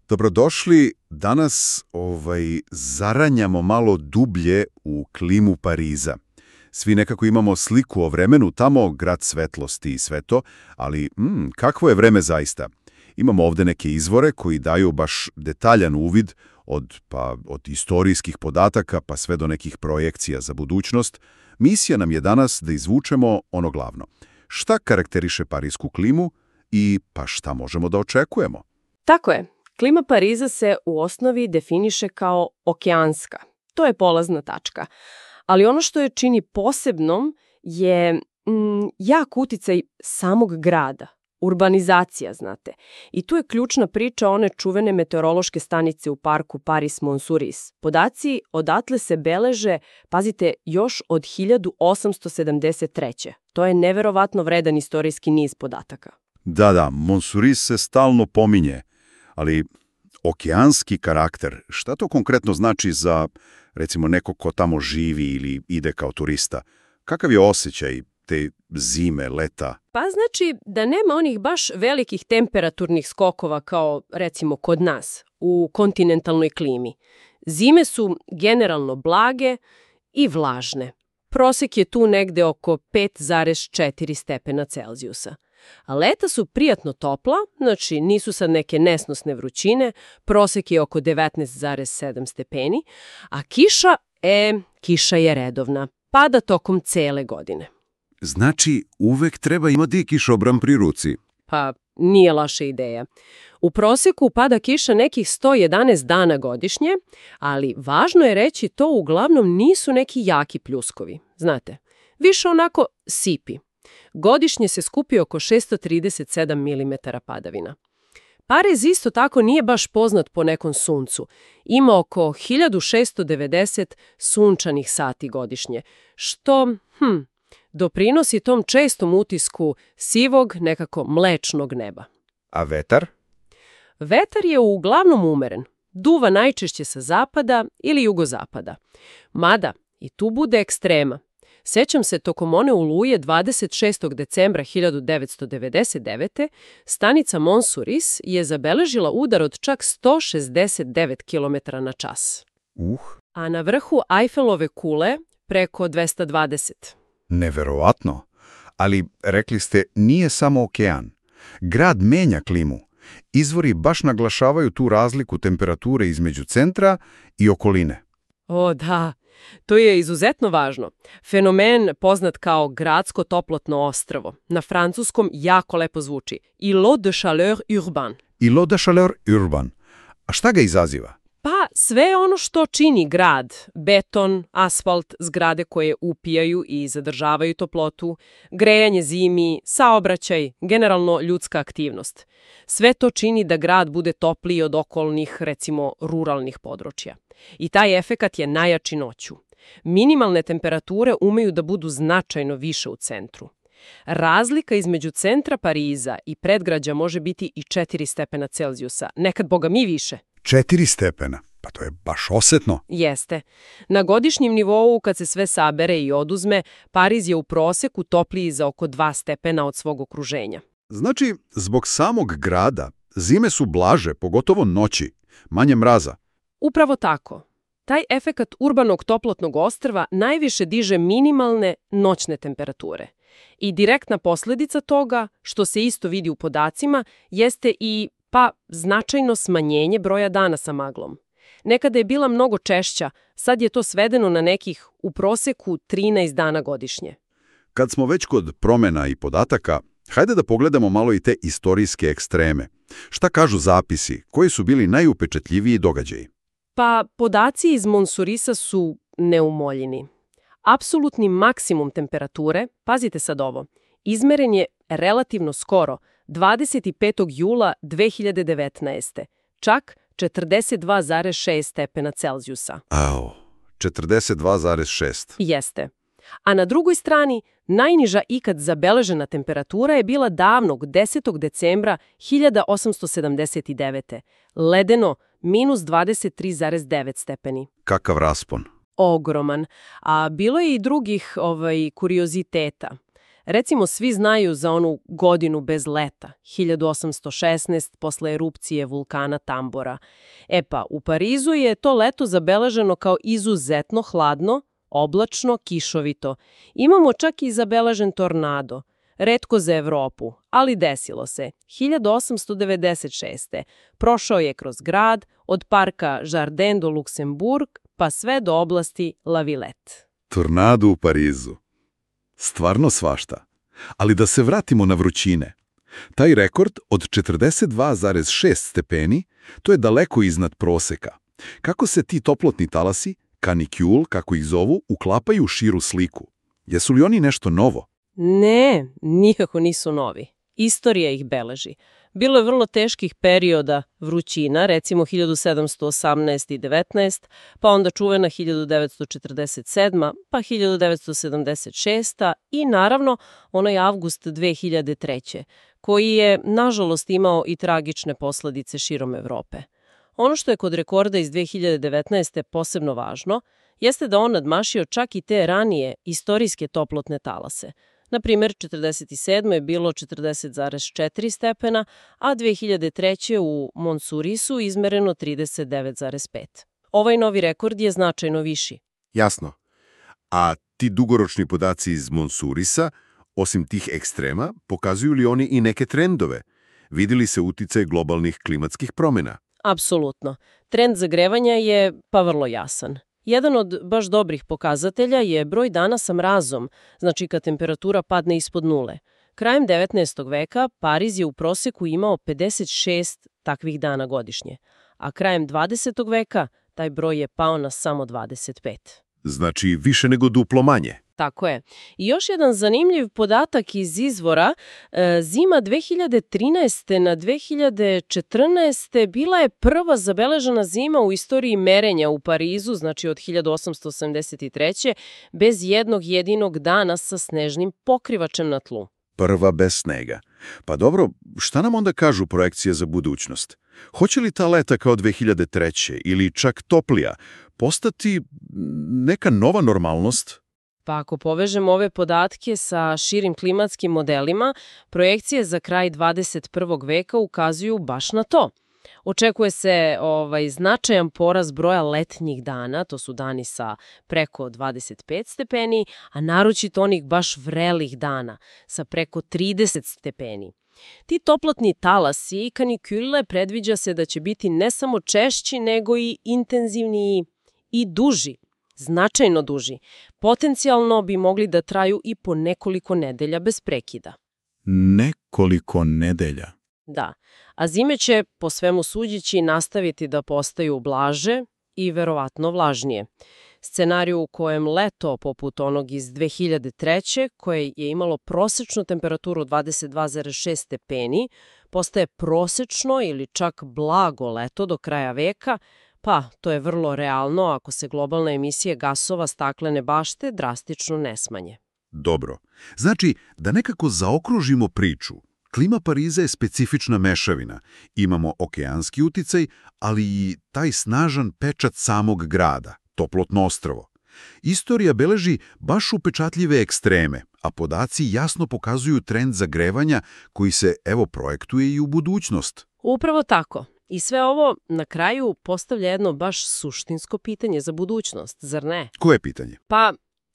Dobrodošli. Danas zaranjamo malo dublje u klimu Pariza. Svi nekako imamo sliku o vremenu tamo, grad svetlosti i sve to, ali kakvo je vreme zaista? Imamo ovdje neke izvore koji daju baš detaljan uvid od istorijskih podataka pa sve do nekih projekcija za budućnost. Misija nam je danas da izvučemo ono glavno. Šta karakteriše parijsku klimu i pa šta možemo da očekujemo? Tako je. Klima Pariza se u osnovi definiše kao okeanska. To je polazna tačka. Ali ono što je čini posebnom je jak uticaj samog grada. Urbanizacija, znate. I tu je ključna priča one čuvene meteorološke stanice u parku Paris-Montsouris. Podaci odatle se beleže, pazite, još od 1873. To je neverovatno vredan istorijski niz podataka. Da, Montsouris se stalno pominje, ali okeanski karakter, šta to konkretno znači za, recimo, nekog ko tamo živi ili ide kao turista? Kakav je osjećaj te zime, leta? Pa znači da nema onih baš velikih temperaturnih skokova kao, recimo, kod nas, u kontinentalnoj klimi. Zime su generalno blage i vlažne. Prosek je tu negde oko 5,4 stepena Celzijusa. A leta su prijatno topla, znači nisu sad neke nesnosne vrućine, prosek je oko 19,7 stepeni, a kiša je redovna, pada tokom cele godine. Znači, uvek treba imati kišobran pri ruci. Pa, nije loša ideja. U proseku pada kiša nekih 111 dana godišnje, ali važno je reći to uglavnom nisu neki jaki pljuskovi, znate. Više onako sipi. Godišnje se skupi oko 637 mm padavina. Pariz isto tako nije baš poznat po nekom suncu. Ima oko 1690 sunčanih sati godišnje, što doprinosi tom čestom utisku sivog, nekako mlečnog neba. A vetar? Vetar je uglavnom umeren. Duva najčešće sa zapada ili jugozapada. Mada i tu bude ekstrema. Sećam se, tokom one oluje 26. decembra 1999. stanica Montsouris je zabeležila udar od čak 169 km na čas. A na vrhu Eiffelove kule preko 220. Neverovatno. Ali, rekli ste, nije samo okean. Grad menja klimu. Izvori baš naglašavaju tu razliku temperature između centra i okoline. O, da. To je izuzetno važno. Fenomen poznat kao gradsko toplotno ostrvo. Na francuskom jako lepo zvuči. Îlot de chaleur urbain. Îlot de chaleur urbain. A šta ga izaziva? Pa sve ono što čini grad. Beton, asfalt, zgrade koje upijaju i zadržavaju toplotu, grejanje zimi, saobraćaj, generalno ljudska aktivnost. Sve to čini da grad bude topliji od okolnih, recimo, ruralnih područja. I taj efekat je najjači noću. Minimalne temperature umeju da budu značajno više u centru. Razlika između centra Pariza i predgrađa može biti i 4 stepena Celzijusa, nekad boga mi više. 4 stepena? Pa to je baš osetno. Jeste. Na godišnjem nivou, kad se sve sabere i oduzme, Pariz je u proseku topliji za oko 2 stepena od svog okruženja. Znači, zbog samog grada, zime su blaže, pogotovo noći, manje mraza. Upravo tako. Taj efekat urbanog toplotnog ostrva najviše diže minimalne noćne temperature. I direktna posljedica toga, što se isto vidi u podacima, jeste i značajno smanjenje broja dana sa maglom. Nekada je bila mnogo češća, sad je to svedeno na nekih u proseku 13 dana godišnje. Kad smo već kod promjena i podataka, hajde da pogledamo malo i te istorijske ekstreme. Šta kažu zapisi? Koji su bili najupečatljiviji događaji? Pa podaci iz Montsourisa su neumoljeni. Apsolutni maksimum temperature, pazite sad ovo, izmeren je relativno skoro, 25. jula 2019. Čak 42,6 stepena Celzijusa. 42,6. Jeste. A na drugoj strani, najniža ikad zabeležena temperatura je bila davnog 10. decembra 1879. Ledeno, minus 23,9 stepeni. Kakav raspon? Ogroman. A bilo je i drugih kurioziteta. Recimo, svi znaju za onu godinu bez leta, 1816, posle erupcije vulkana Tambora. E pa, u Parizu je to leto zabeleženo kao izuzetno hladno, oblačno, kišovito. Imamo čak i zabeležen tornado. Retko za Evropu, ali desilo se. 1896. Prošao je kroz grad, od parka Jardin do Luxembourg, pa sve do oblasti La Villette. Tornado u Parizu. Stvarno svašta. Ali da se vratimo na vrućine. Taj rekord od 42,6 stepeni, to je daleko iznad proseka. Kako se ti toplotni talasi, kanikjul, kako ih zovu, uklapaju u širu sliku? Jesu li oni nešto novo? Ne, nikako nisu novi. Istorija ih beleži. Bilo je vrlo teških perioda vrućina, recimo 1718 i 19, pa onda čuvena 1947, pa 1976 i naravno onaj avgust 2003, koji je, nažalost, imao i tragične posledice širom Evrope. Ono što je kod rekorda iz 2019. posebno važno, jeste da on nadmašio čak i te ranije istorijske toplotne talase. Na primjer, 1947. je bilo 40,4 stepena, a 2003. u Monsurisu izmereno 39,5. Ovaj novi rekord je značajno viši. Jasno. A ti dugoročni podaci iz Monsurisa, osim tih ekstrema, pokazuju li oni i neke trendove? Vidi li se uticaj globalnih klimatskih promjena? Apsolutno. Trend zagrevanja je pa vrlo jasan. Jedan od baš dobrih pokazatelja je broj dana sa mrazom, znači kad temperatura padne ispod nule. Krajem 19. veka Pariz je u proseku imao 56 takvih dana godišnje, a krajem 20. veka taj broj je pao na samo 25. Znači više nego duplo manje. Tako je. I još jedan zanimljiv podatak iz izvora, zima 2013. na 2014. bila je prva zabeležena zima u istoriji merenja u Parizu, znači od 1883. bez jednog jedinog dana sa snežnim pokrivačem na tlu. Prva bez snega. Pa dobro, šta nam onda kažu projekcije za budućnost? Hoće li ta leta kao 2003. ili čak toplija postati neka nova normalnost? Pa ako povežemo ove podatke sa širim klimatskim modelima, projekcije za kraj 21. veka ukazuju baš na to. Očekuje se značajan porast broja letnjih dana, to su dani sa preko 25 stepeni, a naročito onih baš vrelih dana sa preko 30 stepeni. Ti toplotni talasi i kanikule predviđa se da će biti ne samo češći, nego i intenzivniji i duži. Značajno duži. Potencijalno bi mogli da traju i po nekoliko nedelja bez prekida. Nekoliko nedelja? Da, a zime će, po svemu suđeći, nastaviti da postaju blaže i verovatno vlažnije. Scenariju u kojem leto, poput onog iz 2003. koje je imalo prosečnu temperaturu 22,6 stepeni, postaje prosečno ili čak blago leto do kraja veka, pa to je vrlo realno ako se globalne emisije gasova staklene bašte drastično ne smanje. Dobro. Znači, da nekako zaokružimo priču, klima Pariza je specifična mešavina. Imamo okeanski uticaj, ali i taj snažan pečat samog grada, toplotno ostrvo. Istorija beleži baš upečatljive ekstreme, a podaci jasno pokazuju trend zagrevanja koji se, projektuje i u budućnost. Upravo tako. I sve ovo na kraju postavlja jedno baš suštinsko pitanje za budućnost, zar ne? Koje pitanje? Pa,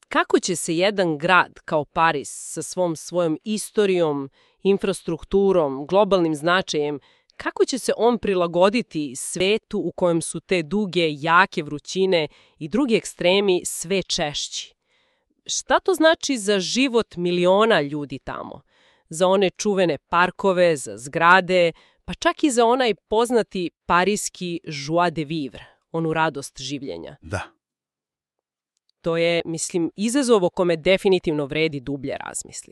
kako će se jedan grad kao Pariz sa svojom istorijom, infrastrukturom, globalnim značajem, kako će se on prilagoditi svetu u kojem su te duge, jake vrućine i drugi ekstremi sve češći? Šta to znači za život miliona ljudi tamo? Za one čuvene parkove, za zgrade, pa čak i za onaj poznati parijski joie de vivre, onu radost življenja. Da. To je, izazov o kome definitivno vredi dublje razmisliti.